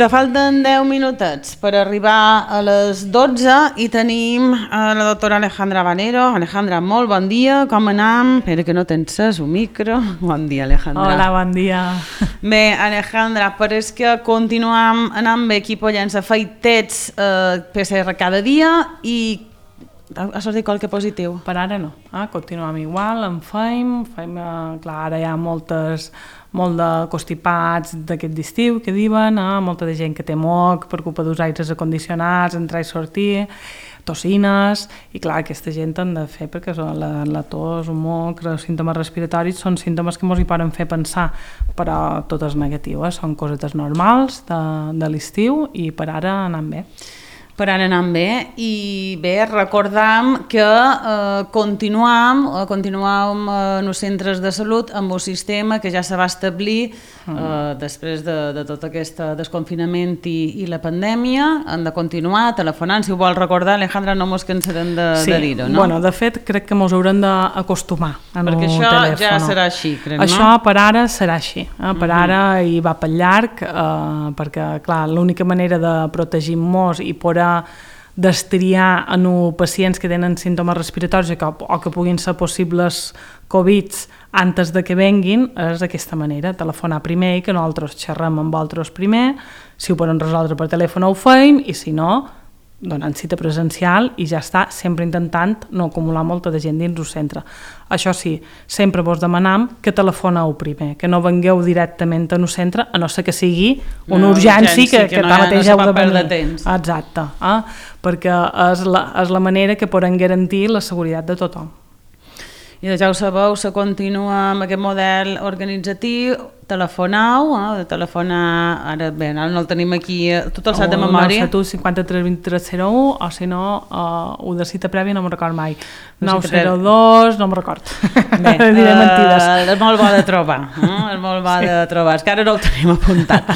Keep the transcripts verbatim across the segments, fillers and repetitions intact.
te falten deu minutets per arribar a les dotze i tenim a la doctora Alejandra Vanero. Alejandra, molt bon dia, com anam? Espera que no t'ences un micro. Bon dia, Alejandra. Hola, bon dia. Bé, Alejandra, pareix que continuem anant bé aquí Pollença, feitets eh, P C R cada dia i ha sortit qualque positiu? Per ara no, eh? Continuem igual, en feim, feim eh, clar, ara hi ha moltes, molt de constipats d'aquest d'estiu que diuen, eh? Molta de gent que té moc per culpa dels aires acondicionats, entrar i sortir, tossines, i clar, aquesta gent han de fer perquè la, la tos, un moc, els símptomes respiratoris són símptomes que ens hi poden fer pensar, però tot és negatiu, eh? Són cosetes normals de, de l'estiu i per ara anem bé. Per ara anant bé, i bé, recordam que eh, continuam, eh, continuam eh, en els centres de salut amb un sistema que ja se va establir eh, després de, de tot aquest desconfinament i, i la pandèmia. Han de continuar telefonant, si ho vol recordar, Alejandra, no mos cansarem de, sí. de dir-ho, no? Bueno, de fet, crec que mos haurem d'acostumar a no perquè això telèfon. Ja serà així, crec, no? Això per ara serà així, eh? Per uh-huh. ara hi va pel llarg, eh, perquè, clar, l'única manera de protegir-nos i poder destriar en pacients que tenen símptomes respiratoris que, o que puguin ser possibles Covids antes de que venguin és d'aquesta manera, telefonar primer i que nosaltres xerrem amb altres primer, si ho poden resoldre per telèfon ho feim i si no, donant cita presencial i ja està, sempre intentant no acumular molta de gent dins el centre. Això sí, sempre vos demanam que telefoneu primer, que no vengueu directament en el centre, a no ser que sigui una no, urgència que, que, que no, mateix no heu de venir. Temps. Exacte, eh? Perquè és la, és la manera que poden garantir la seguretat de tothom. I ja ho sabeu, se continua amb aquest model organitzatiu, telefonau, eh, de telefonar, ara bé, ara no el tenim aquí tot el set de memòria. nou set u cinquanta-tres vint-i-tres zero u, o si no, uh, ho de cita prèvia no me'n record mai. nou zero dos, no me'n record. Bé, diré mentides. Uh, és molt bo de trobar, eh? És molt bo de trobar, és que ara no el tenim apuntat.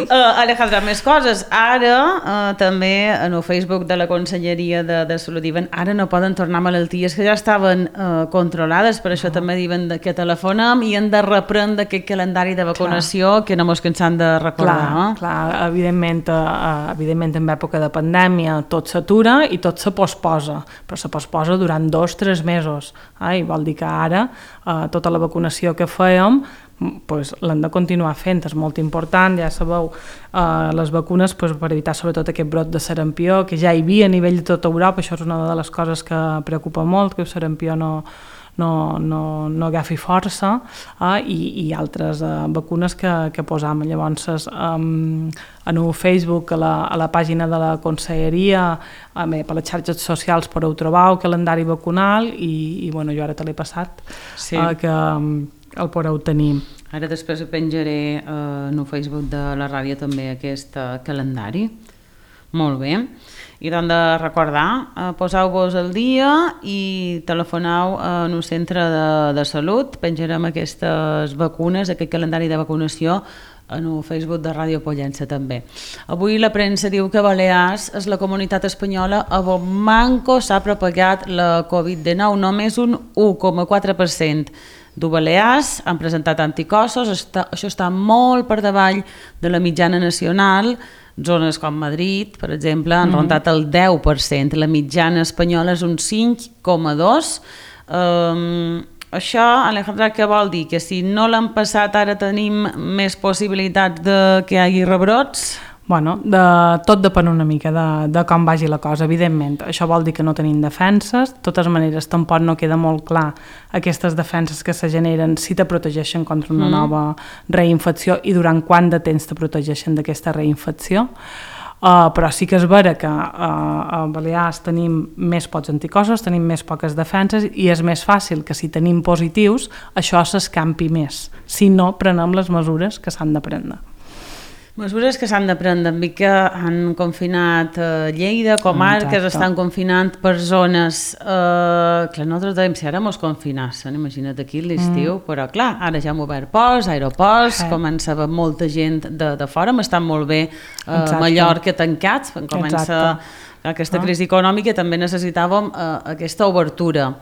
Uh, Alejandra, més coses. Ara, uh, també, en el Facebook de la Conselleria de, de Salut diuen, ara no poden tornar malalties que ja estaven uh, controlades, per això uh-huh. també diuen que telefonem i hem de reprendre aquest calendari de vacunació clar. Que no mos cansem de recordar. Clar, eh? clar evidentment, eh, evidentment en època de pandèmia tot s'atura i tot se posposa, però se posposa durant dos o tres mesos. Eh? I vol dir que ara eh, tota la vacunació que fèiem pues, l'hem de continuar fent, és molt important, ja sabeu, eh, les vacunes pues, per evitar sobretot aquest brot de sarampió, que ja hi havia a nivell de tota Europa, això és una de les coses que preocupa molt, que el sarampió no no, no, no agafi força eh, i, i altres eh, vacunes que, que posam. Llavors, um, en el Facebook, a la, a la pàgina de la Conselleria, a bé, per les xarxes socials podeu trobar el calendari vacunal i, i bueno, jo ara te l'he passat, sí. eh, que um, el podeu tenir. Ara després penjaré eh, en el Facebook de la ràdio també aquest eh, calendari. Molt bé. I doncs de recordar, eh, poseu-vos al dia i telefoneu en un centre de, de salut, penjarem aquestes vacunes, aquest calendari de vacunació en el Facebook de Ràdio Pollença també. Avui la premsa diu que a Balears és la comunitat espanyola on manco s'ha propagat la covid dinou, només un u coma quatre per cent de Balears han presentat anticossos, està, això està molt per davall de la mitjana nacional. Zones com Madrid, per exemple, han mm-hmm. rondat el deu per cent, la mitjana espanyola és un cinc coma dos per cent. Um, això, Alejandra, què vol dir? Que si no l'han passat ara tenim més possibilitats de que hi hagi rebrots? Bueno, de, tot depèn una mica de, de com vagi la cosa, evidentment. Això vol dir que no tenim defenses, de totes maneres tampoc no queda molt clar aquestes defenses que se generen si te protegeixen contra una mm. nova reinfecció i durant quant de temps te protegeixen d'aquesta reinfecció. Uh, però sí que és vera que uh, a Balears tenim més pocs anticossos, tenim més poques defenses i és més fàcil que si tenim positius això s'escampi més, si no prenem les mesures que s'han de prendre. Mesures que s'han de prendre, en que han confinat eh, Lleida, comarques, exacte. Estan confinant per zones, eh, clar, nosaltres dèiem si ara mos confinassen, imagina't aquí l'estiu, mm. però clar, ara ja hem obert ports, aeroports, eh. comença a molta gent de, de fora, m'estan molt bé eh, Mallorca tancats, comença exacte. Aquesta crisi econòmica, també necessitàvem eh, aquesta obertura.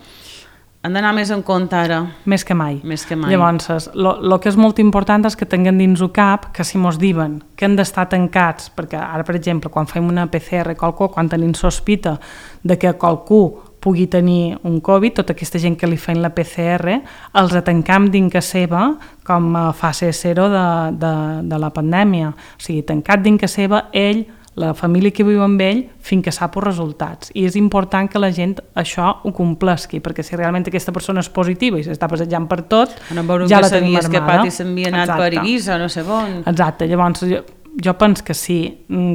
Han d'anar més en compte ara. Més que mai. Més que mai. Llavors, el que és molt important és que tinguem dins el cap que si mos diuen que han d'estar tancats, perquè ara, per exemple, quan fem una P C R qualcú, quan tenim sospita de que qualcú pugui tenir un Covid, tota aquesta gent que li feien la P C R, els tancam dins casa seva com a fase zero de, de, de la pandèmia. O sigui, tancat dins casa seva, ell, la família que viu amb ell, fins que sap els resultats. I és important que la gent això ho complesqui, perquè si realment aquesta persona és positiva i s'està passejant per tot, no, ja la tenim armada. escapat i s'havia anat Exacte. per Eivissa, no sé on. Exacte, llavors jo, jo penso que si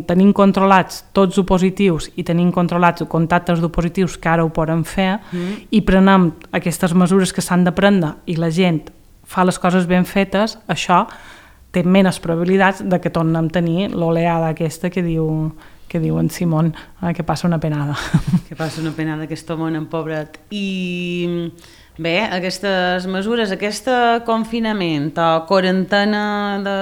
tenim controlats tots els positius i tenim controlats els contactes dels positius que ara ho poden fer mm. i prenem aquestes mesures que s'han de prendre i la gent fa les coses ben fetes, això té menys probabilitats de que tornem a tenir l'oleada aquesta que diu, que diu en Simón, eh, que passa una penada. Que passa una penada aquest home en pobret. I bé, aquestes mesures, aquest confinament o quarantena de,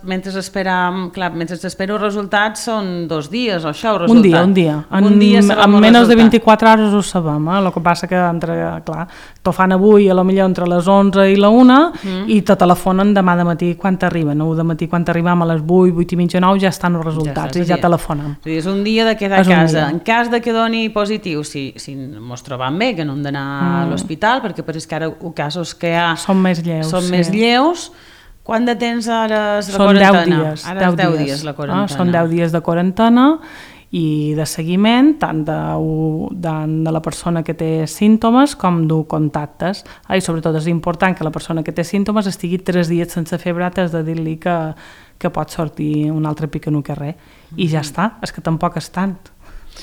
mentre esperam, clar, mentre espero els resultats són dos dies o això, el resultat. Un dia, un dia. En, un dia en menys de vint-i-quatre hores ho sabem, eh? El que passa que entre, clar, t'ho fan avui a la millor entre les onze i la una mm. i te telefonen demà de matí quan t'arriben. Nou de matí quan t'arribam a les vuit, vuit i mitja, nou ja estan els resultats ja i ja telefonem. És un dia de quedar a casa. En cas de que doni positiu, si, si mos trobam bé, que no hem d'anar mm. a l'hospital, perquè però és que ara els casos que hi ha són més lleus, són sí. més lleus. Quant de temps ara és la són quarantena? deu dies, ara és deu dies la quarantena. Ah, són deu dies de quarantena i de seguiment tant de, tant de la persona que té símptomes com de contactes. Ah, I sobretot és important que la persona que té símptomes estigui tres dies sense febre antes de dir-li que, que pot sortir un altre pic en un carrer. I ja està, és que tampoc és tant.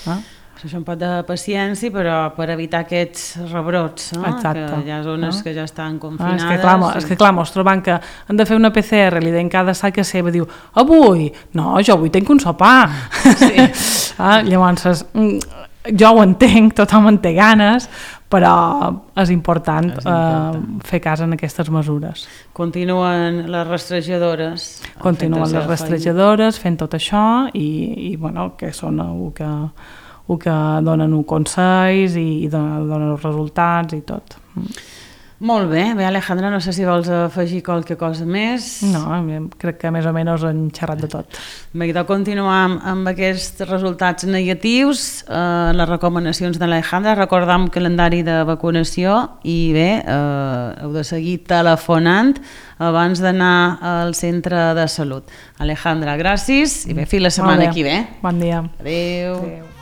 Ah? Això un pot de paciència, però per evitar aquests rebrots, no? Exacte. Que hi ha zones ah. que ja estan confinades. Ah, és que clar, i... és que clar, mos trobant que han de fer una P C R, li deien cada sac a seva, diu, avui? No, jo avui tinc un sopar. Sí. ah, llavors, jo ho entenc, tothom en té ganes, però és important, és important. Eh, fer cas en aquestes mesures. Continuen les rastrejadores. Continuen les rastrejadores, fent tot això, i, i bueno, que són el que... o que donen consells i donen, donen els resultats i tot. Molt bé, bé Alejandra, no sé si vols afegir qualque cosa més. No, crec que més o menys han xerrat de tot. Bé, de continuar amb, amb aquests resultats negatius, eh, les recomanacions d'Alejandra, recordam el calendari de vacunació i bé, eh, heu de seguir telefonant abans d'anar al centre de salut. Alejandra, gràcies i bé, fins la setmana que ve. Bon dia. Adéu. Adéu.